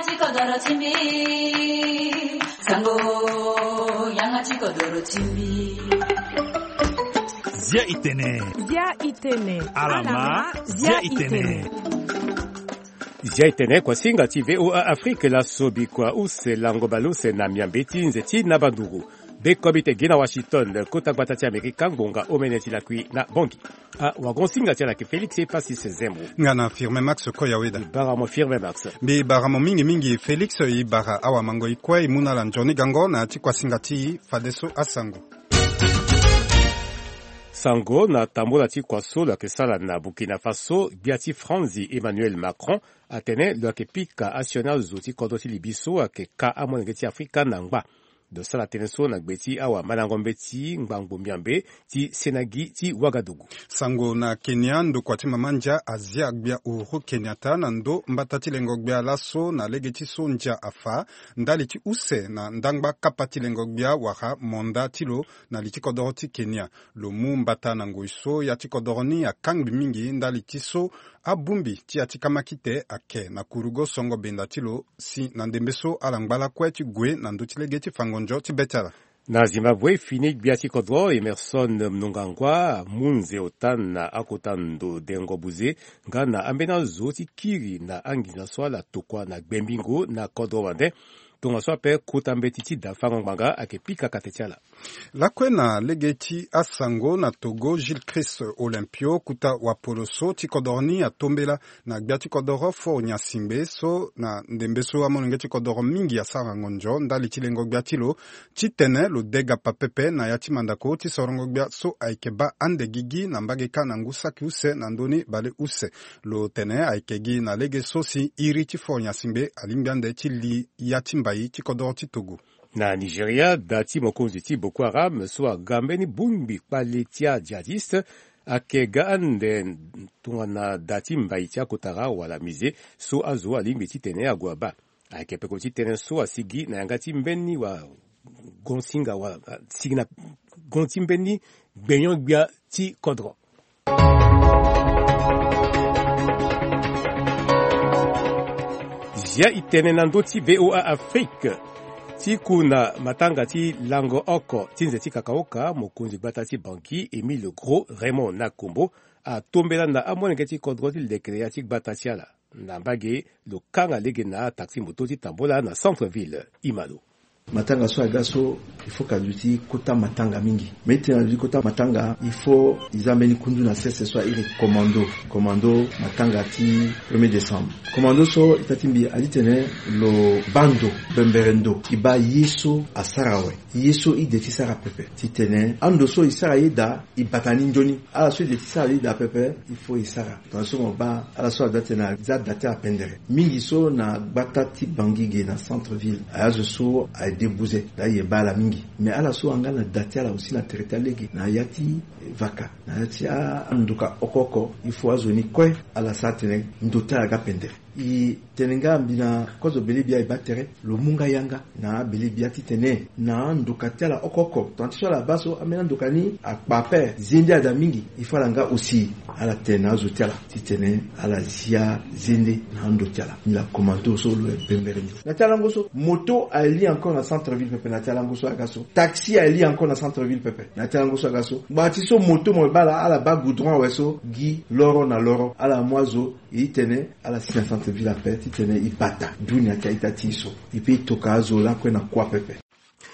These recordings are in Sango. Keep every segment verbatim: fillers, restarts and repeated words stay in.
Ti kodoro ti mbi, sango, yanga ti kodoro ti mbi. Zia i tene. Zia i tene. Alama, zia i tene. Zia i tene, kuasinga ti V O A Afrique, laso bikua use lango baleuse na miambe ti nze ti na banduru. Be kobi te gi na Washington, kota gbata ti Amerika, ngonga omene ti lakui na Bangui. Ah, wagon singa ti ala ke Félix Epasis Zembo. Nga na Firmin Max Koyaweda. Mbi bara mo Firmin Max. Mbi bara mo mingi mingi Félix, i bara awamango i kue i mu na ala nzoni gango na ya ti kuasinga ti fadeso asango. Sango na tambola ti kua so lo yeke sara na Burkina Faso, gbia ti Franzi Emmanuel Macron atene lo yeke pika asioni azo ti kodro ti Libye so ayeke ka amolenge ti Afrika na ngba. Lo sara tënë so na gbe ti awamandango mbeti ngbangbo miambe ti senagi ti Wagadugu. Sango na Kenya, ndokua ti mama ndia azia gbia Uhuru Kenyatta na ndo mbata ti lengo gbia laso na lege ti so ndia afa ndali ti use na ndangba kapa ti lengo gbia wala monda ti lo na li ti kodoro ti Kenya. Lo mu mbata na ngoi so ya ti kodoro ni akangbi mingi ndali ti so abongbi ti ya ti kamakite ayeke na kurugo songo benda ti lo si na ndembe so ala ngba lakue ti gue na ndö ti lege ti fango nzo ti be ti ala. Na Zimbabwe, fini gbia ti kodro Emerson Mnangagwa amu nze ota na akota ndo dengo buze nga na ambeni azo ti kiri na anginza so ala tokua na gbembingo na kodro wande. Tongaso ape kota mbeti ti da fango ngbanga ayeke pika kate ti ala. Lakue na lege ti asango na Togo, Gilles Christ Olympio, kuta wapolo so ti kodoro ni atombela na gbia ti kodoro Faure Gnassingbé so na ndembe so amolenge ti kodoro mingi asara ngonzo ndali ti lengo gbia ti lo titene lo dega pa pepe na ya ti mandako ti sorongo gbia so ayeke baa ande gigi na mbage kâ na ngu saki use na ndö ni baleuse. Lo tene ayeke gi na lege so si iri ti Faure Gnassingbé alingbi ande ti li ya ti mbai ti kodoro ti Togo. Na Nigeria, da ti mokonzi ti Boko Haram so aga mbeni bongbi kpale ti ajihadiste ayeke ga ande tongana da ti mbai ti akotara wala musée so azo alingbi titene ague abaa. Ayeke peko ti tënë so asigi na yanga ti mbeni wa gonsinga wa sigi na gon ti mbeni gbenyo-gbia ti kodro. Zia i tene na ndö ti V O A Afrique. Ti ku na matanga ti lango oko ti nze ti kakaoka, mokonzi gbata ti Bangui, Émile Gros Raymond Nakombo, atombela na amolenge ti kodro ti lekere ya ti gbata ti ala. Na mbage, lo kanga lege na ataxi moto ti tambola na centre-ville. Imalo. Matanga so aga so, il faut ka duti kota matanga mingi. Mais titene aduti kota matanga, il faut i za mbeni kundu na sese so airi commando. Commando matanga ti premier décembre. Commando so ita ti mbi adi tene lo baa ndo, bembere ndo. I baa ye so asara awe. Ye so i de ti sara pepe. Titene ando so i sara ye daa, i bata ni nzoni. Ala so i de ti sara ye daa pepe, il faut i sara. Tongana so mo baa ala so ada tena za da ti ala pendere. Mingi so na gbata ti Bangui ge na centre-ville. Aye azo so aye de buze. Daa ye baa ala mingi. Mais ala so ayanga na da ti ala aussi na tere ti alege. Na ya ti vaka. Na ya ti andoka oko oko. Il faut azo ni kue ala sara tene ndo ti ala aga pendere. I tene nga mbi na kozo bele bia e baa tere, lo mu nga yanga na abele bia titene na andoka ti ala oko oko. Tongana ti so ala baa so, ambeni andoka ni akpa ape, zende ada mingi, il faut ala nga aussi ala tene na azo ti ala titene ala zia zende na ando ti ala. Ni la commando so lo bembere ni. Na ti alango so, moto aye li encore na centre-ville pepe na ti alango so aga so. Taxi aye li encore na centre-ville pepe na ti alango so aga so. Ngbanga ti so moto mo baa ala, ala baa goudron awe so, gi loro na loro, ala mu azo, e titene ala si na centre-ville ape, titene e bata dunia ti a-ita ti e so. E peut e toka azo lakue na kuâ pepe.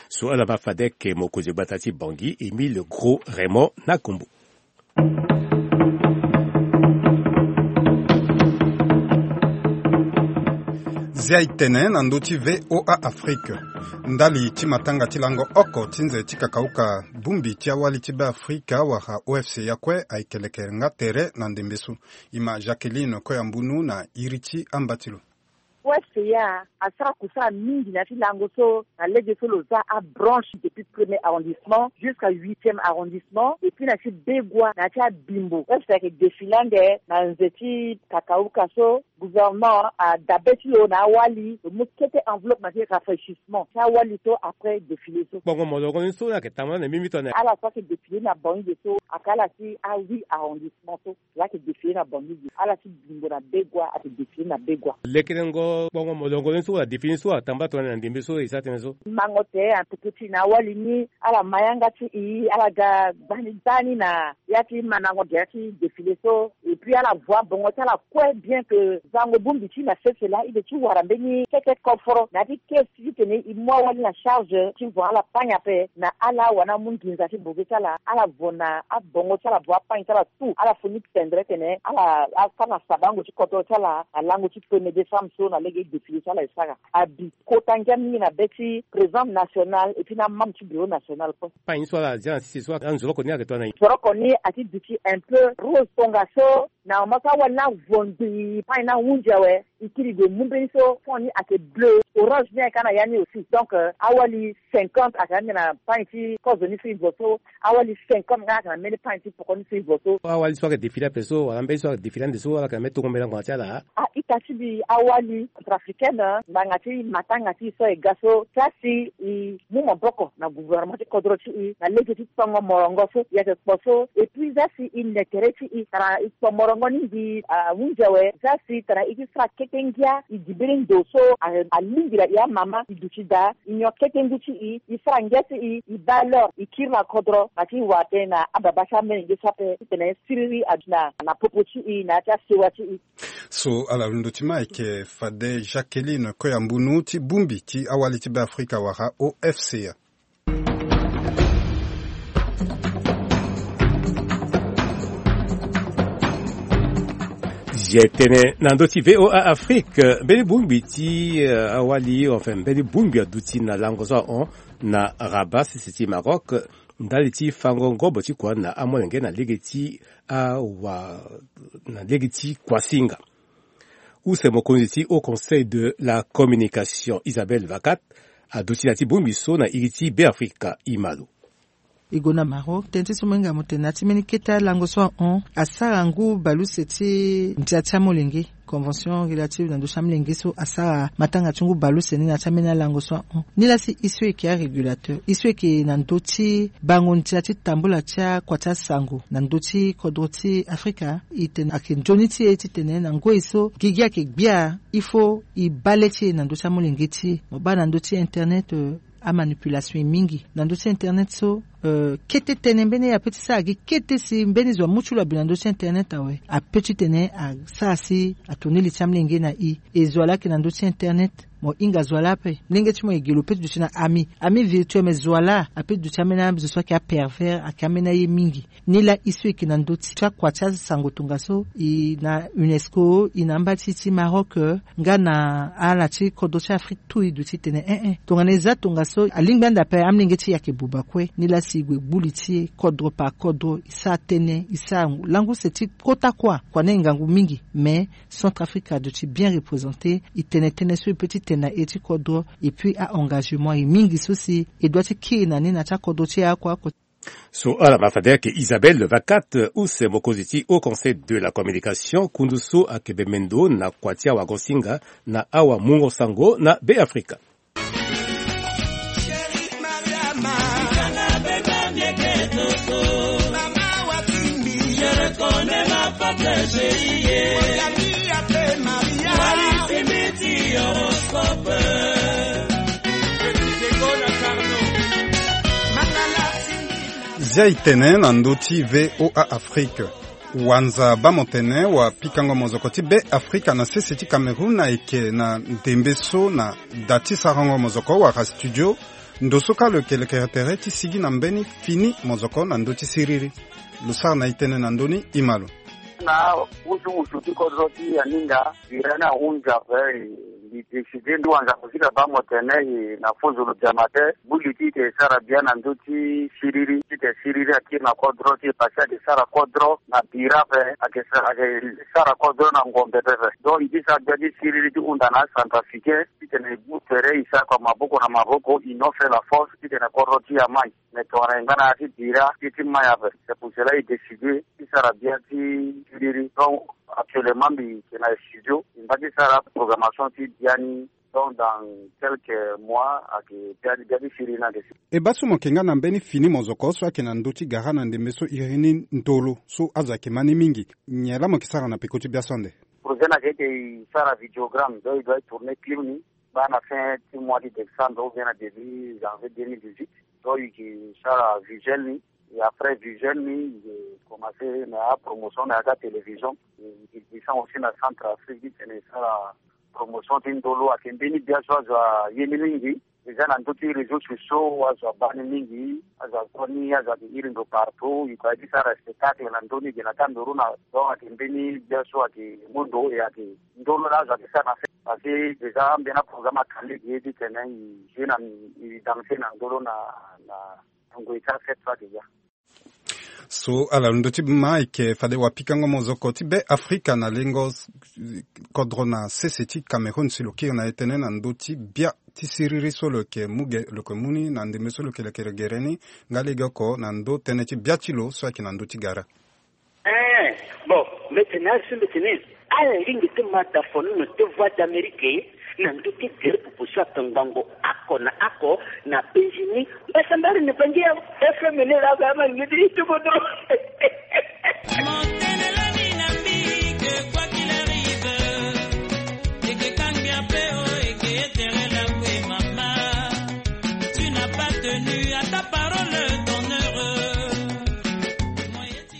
So ala baa fade ayeke mokonzi gbata ti Bangui, Émile Gros Raymond Nakombo. Zia e tene na ndö ti V O A Afrique. Ndali ti matanga ti lango oko ti nze ti kakauka bongbi ti awali ti Beafrika wala O F C A kue ayeke leke nga tere na ndembe so. E ma Jacqueline Koyambunu na iri ti amba ti lo. O F C A asara kusara mingi na ya ti lango so, na lege so lo za abranche depuis premier arrondissement jusqu'à huitième arrondissement, et puis na ya ti Begua, na ya ti Abimbo. O F C A ayeke défilé ande na nze ti kakauka so, gouvernement adabe ti lo na awali, lo mu kete enveloppe na ti rafraîchissement ti awali so après défilé so. Kpongo molongo ni so ayeke tambula na mimi tongana ala so ayeke défilé na Bangui ge so, ayeke ala ti a-huit arrondissement so. Lo ayeke défilé na Bangui ge. Ala ti Bimbo na Begua ayeke défilé na Begua. Lekerengo kpongo Mo, molongo ni so wala défilé ni so atambula tongana na ndembe so e sara tënë so. Mango te, en tout cas, ti na awali ni ala ma yanga ti e, ala ga gbani gbani na ya ti mandango ge ya ti défilé so. Et puis ala vo abongo ti ala kue, bien que zango bongbi ti na sese laa e de ti wara mbeni keke koforo na ya ti caisse ti tene e mu awali na charge ti vo ala pagne ape na ala wala amu nginza ti boge ti ala. Ala vo na abongo ti ala, vo apagne ti ala tout, ala fo ni tendre tene ala asara na sabango ti kodro ti ala na lango ti premier décembre so na lege défilé so ala e sara. Abi kota ngia mingi na be ti président national et puis na amembre ti bureau national kue. Pagne so ala zia na sese so anzoroko ni ayeke tongana nyen? Zoroko ni ati duti un peu rose tongaso. Na moment so awali ni avo ngbii pagne ni ahunzi awe, e kiri gue mu mbeni so fond ni ayeke bleu, orange ni ayeke na ya ni aussi. Donc euh, awali cinquante ayeke ande na pagne ti kozo ni so e vo so. Awali cinquante nga ayeke na mbeni pagne ti poko ni so e vo so. Awali so ayeke défilé ape so wala mbeni so ayeke défilé ande so ala yeke na mbeni tongo mbelango na ti ala? Ah, ita ti mbi, awali centrafricaine, ngbanga ti matanga ti e so e ga so, za si e mu maboko na gouvernement ti kodro ti e na lege ti tongo morongo so e yeke kpo so. Et puis za si e ne tere ti e tara e kpo morongo ni mbi ahunzi awe. Za si tara e ti sara kete ngia, e gi mbeni ndo so a- alingbi na e amama, e duti daa e nyon kete ngu ti e, e sara ngia ti e, e baa l'heure e kiri na kodro na ti wara tënë na ababa ti amolenge so ape titene siriri aduti na na popo ti e na ya ti asewa ti e. So ala londo ti ma ayeke fade Jacqueline Koyambunu ti bongbi ti awali ti Beafrika wala O F C A. Zia tënë na ndö ti V O A Afrique, mbeni bongbi ti, euh, awali, enfin, mbeni bongbi aduti na lango so ahon na Rabat, sese ti Maroc, ndali ti fango ngobo ti kua na amolenge na lege ti awa, na lege ti kuasinga. Use mokonzi ti Haut Conseil de la Communication, Isabelle Vakat, aduti na ti bongbi so na iri ti Beafrika. Imalo. E gue na Maroc, tënë ti so mo hinga mo tene na ya ti mbeni kete alango so ahon, asara ngu baleuse ti ndia ti amolenge, convention relative na ndö ti amolenge so asara matanga ti ngu baleuse ni na ya ti ambeni alango so ahon. Nilaa si e so e yeke arégulateur, e so e yeke na ndö ti bango ndia ti tambula ti akua ti asango na ndö ti kodro ti Afrika, e tene ayeke nzoni ti e titene na ngoi so gigi ayeke gbia, il faut e baa le ti e na ndö ti amolenge ti e. Mo baa na ndö ti internet, euh, amanipulation e mingi na ndö ti internet so. Euh, kete tënë mbeni ape ti sara gi kete si mbeni zo amu ti lo abi na ndö ti internet awe, ape titene asara si atourner li ti amolenge na e. E zo wa laa ayeke na ndö ti internet, mo hinga zo wa laa ape. Molenge ti mo e ge lo peut ti duti na ami, ami virtuel, mais zo wa laa ape ti duti ambeni azo so ayeke apervers, ayeke ambeni aye mingi. Nilaa e so e yeke na ndö ti akua ti asango tongaso, e na UNESCO, e na amba ti ti Maroc, euh, nga na ala ti kodro ti Afrique tout, e duti tene eh eh, tongana e za tongaso alingbi ande ape amolenge ti e ayeke buba kue. Nilaa si e gue gbu li ti e kodro par kodro, e sara tënë, e sara lango use ti kota kuâ. Kua ni ayeke ngangu mingi, mais Centrafrique aduti bien représenté. E tene tënë so e peut ti tene na iri ti kodro, et puis a-engagement e mingi so si e doit ti kiri na ni na ti akodro ti e akuaku. So ala ma fade ayeke Isabelle Vakat, use mokonzi ti Haut Conseil de la Communication, kundu so ayeke bembe ndo na kua ti awagosinga na awamungo sango na Beafrika. Zia e tene na ndö ti V O A Afrique. Wanza baa mo tene wapikango mozoko ti Beafrika na sese ti Cameroun ayeke na ndembe so na da ti sarango mozoko wala studio. Ndo so kâ lo yeke lekere tere ti sigi na mbeni fini mozoko na ndö ti siriri. Lo sara na e tënë na ndö ni, e ma lo. Na wusuwusu ti kodro ti Yaninga, bira ni ahunzi ape, e, mbi décidé, mbi wanza kusika baa mo tene, e, na fo zo lo biama te, gbu li ti e eke sara bien na ndö ti siriri, ti eke siriri akiri na kodro ti e, parce que ayeke sara kodro na bira ape, ayeke sa-, ayeke sara kodro na ngombe pepe. Donc e ti sara gbia ti siriri ti hunda na acentrafricain, titene e gbu tere e sara kua maboko na maboko, union fait la force, titene kodro ti e amai. Mais tongana e nga na ya ti bira, ti, ti mai ape. C'est pour cela e décidé ti sara bien ti siriri. Donc actuellement mbi yeke na studio, mbi ngba ti sara programmation ti bia ni. Donc dans quelques mois ayeke bia, bia ti siriri ni ayeke si. E baa so mo yeke nga na mbeni fini mozoko so ayeke na ndö ti gara na ndembe so iri ni ndolo so azo ayeke ma ni mingi. Nyen laa mo yeke sara na peko ti bia so ande? Projet na yeke e sara vidéogramme, donc e doit e tourner clip ni. Baa na fin ti mois ti décembre ou bien na début janvier deux mille dix-huit, donc e yeke sara visuel ni. Et après visuel ni, e commencer na apromotion na ya ti atélévision. E descend aussi na Centrafrique ti tene e sara promotion ti ndolo. Ayeke mbeni bia so azo aye ni mingi. Eza na ndö ti réseaux sociaux azo abaa ni mingi, azo azo ni, azo ayeke iri ndo partout. E yeke aye ti sara spectacle na ndö ni, e yeke na Cameroun na, donc ayeke mbeni bia so ayeke mu ndo. E ayeke ndolo laa azo ayeke sara na fête. Parce que déjà ambeni aprogramme aka lege ti tene e jouer na, e danser na ndolo na, na ngoi ti afête so ayeke ya. So ala lo ndö ti ma ayeke fade wapikango mozoko ti Be Afrika na lengo s-, kodro na sese ti Cameroun si lo kiri na e tënë na ndö ti bia ti siriri so lo yeke mu ge, lo yeke mu ni na ndembe so lo yeke lekere gere ni, nga legeoko na ndö tënë ti bia ti lo so ayeke na ndö ti gara. Eh, bon, mbi tene azo so mbi tene ala lingbi ti ma da fonono ti Voix d'Amérique na ndö ti gere popo so atongbango oko na oko na penzi ni. Mbasambari na bangi ya F M ni laa ba ama ngidi ti bodo. Mon tenelani na mbi que quoi qu'il arrive, eke kangbi ape o, eke etere la kue mama. Tu n'as pas tenu à ta parole d'honneur.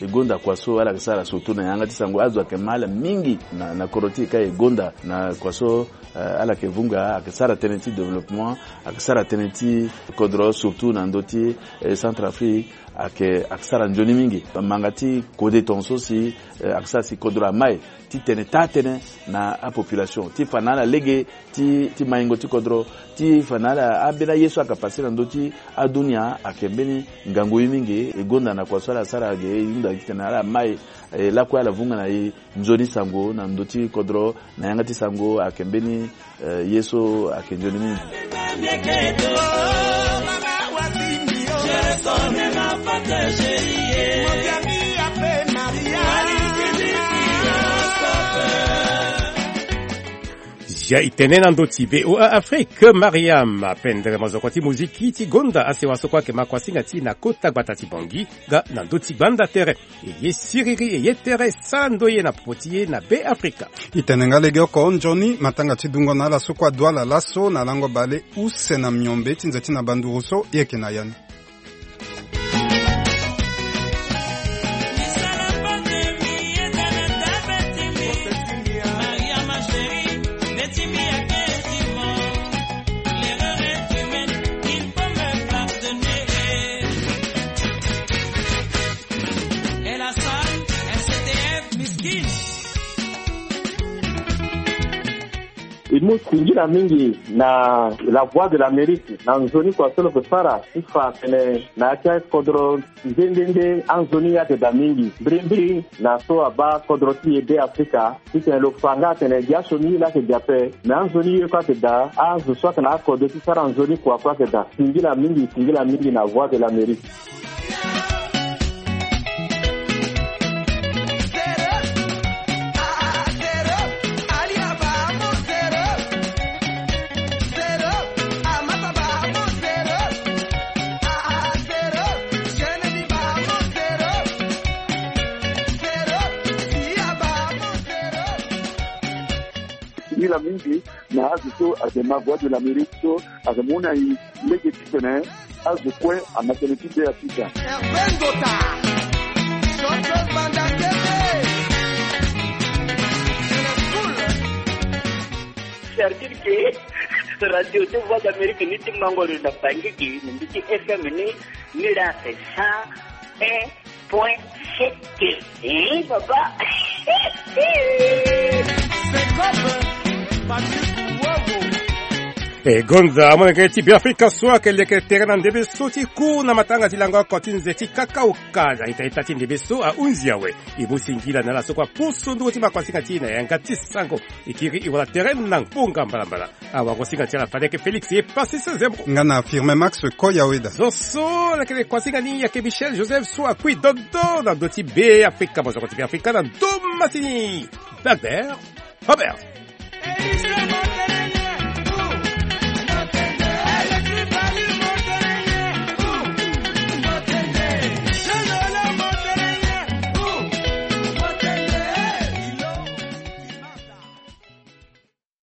E gonda kua so ala yeke sara surtout na yanga ti sango, azo ayeke ma ala mingi na, na kodro ti e ka e gonda na kua so, eh, ala yeke vunga, ayeke sara tënë ti développement, ayeke sara tënë ti kodro surtout na ndö ti, eh, Centrafrique, ayeke, ayeke sara nzoni mingi. Manga ti kode tongaso si, eh, ayeke sara si kodro amai ti tene taa tënë na apopulation ti fa na ala lege ti, ti maingo ti kodro, ti fa na ala ambeni aye so ayeke pase na ndö ti adunia ayeke mbeni ngangu ye mingi. E gonda na kua so ala sara ge, e hunda gi titene ala mai, e lakue ala vunga na e nzoni sango na ndö ti kodro na yanga ti sango ayeke mbeni, eh, ye so ayeke nzoni mingi. Ya e tene na ndö ti V O A Afrique, Mariam apendre mozoko ti moziki ti gonda asewa so kue ayeke ma kuasinga ti e na kota gbata ti Bangui, nga na ndö ti gbanda tere. E ye siriri, e ye tere, sara ndoye na popo ti e na Be Afrika. E tene nga legeoko nzoni matanga ti dungo na ala so kue adu ala laso na lango bale use na miombe ti nze ti na banduru so e yeke na ya ni. E mu singila mingi na La Voix de l'Amérique na nzoni kua so lo yeke sara ti fa atene na ya ti akodro nde nde nde anzoni ye ayeke daa mingi. Mbirimbiri na so abaa kodro ti e Be Afrika, titene lo fa nga atene gi asioni ye laa ayeke daa ape, me anzoni ye kue ayeke daa. Azo so ayeke na akodro ti sara nzoni kua kue ayeke daa. Singila mingi, singila mingi na Voix de l'Amérique. Singila mingi na azo so ayeke ma Voix de l'Amérique so ayeke mu na e lege titene azo kue ama tënë ti Be Afrika. C'est-à-dire que radio ti Voix d'Amérique ni ti mango lo na Bangui gi na ndö ti F M ni, ni laa ayeke cent un point sept. Eh, papa. E gonda amolenge ti Be Afrika so ayeke leke tere na ndembe so ti ku na matanga ti lango oko ti nze ti kakauka na ita-ita ti ndembe so ahunzi awe. E mu singila na ala so kue aposo nduru ti makuasinga ti e na yanga ti sango. E kiri e wara tere na ngbonga mbalambala. Awagosinga ti ala fade ayeke Félix ye Passis Zembo. Nga na Firmin Max Koyaweda. Zo so lakene kuasinga ni ayeke Michel Joseph so akui dodo na ndö ti Be Afrika, mozoko ti Be Afrika na ndö masini. Dagbert Robert.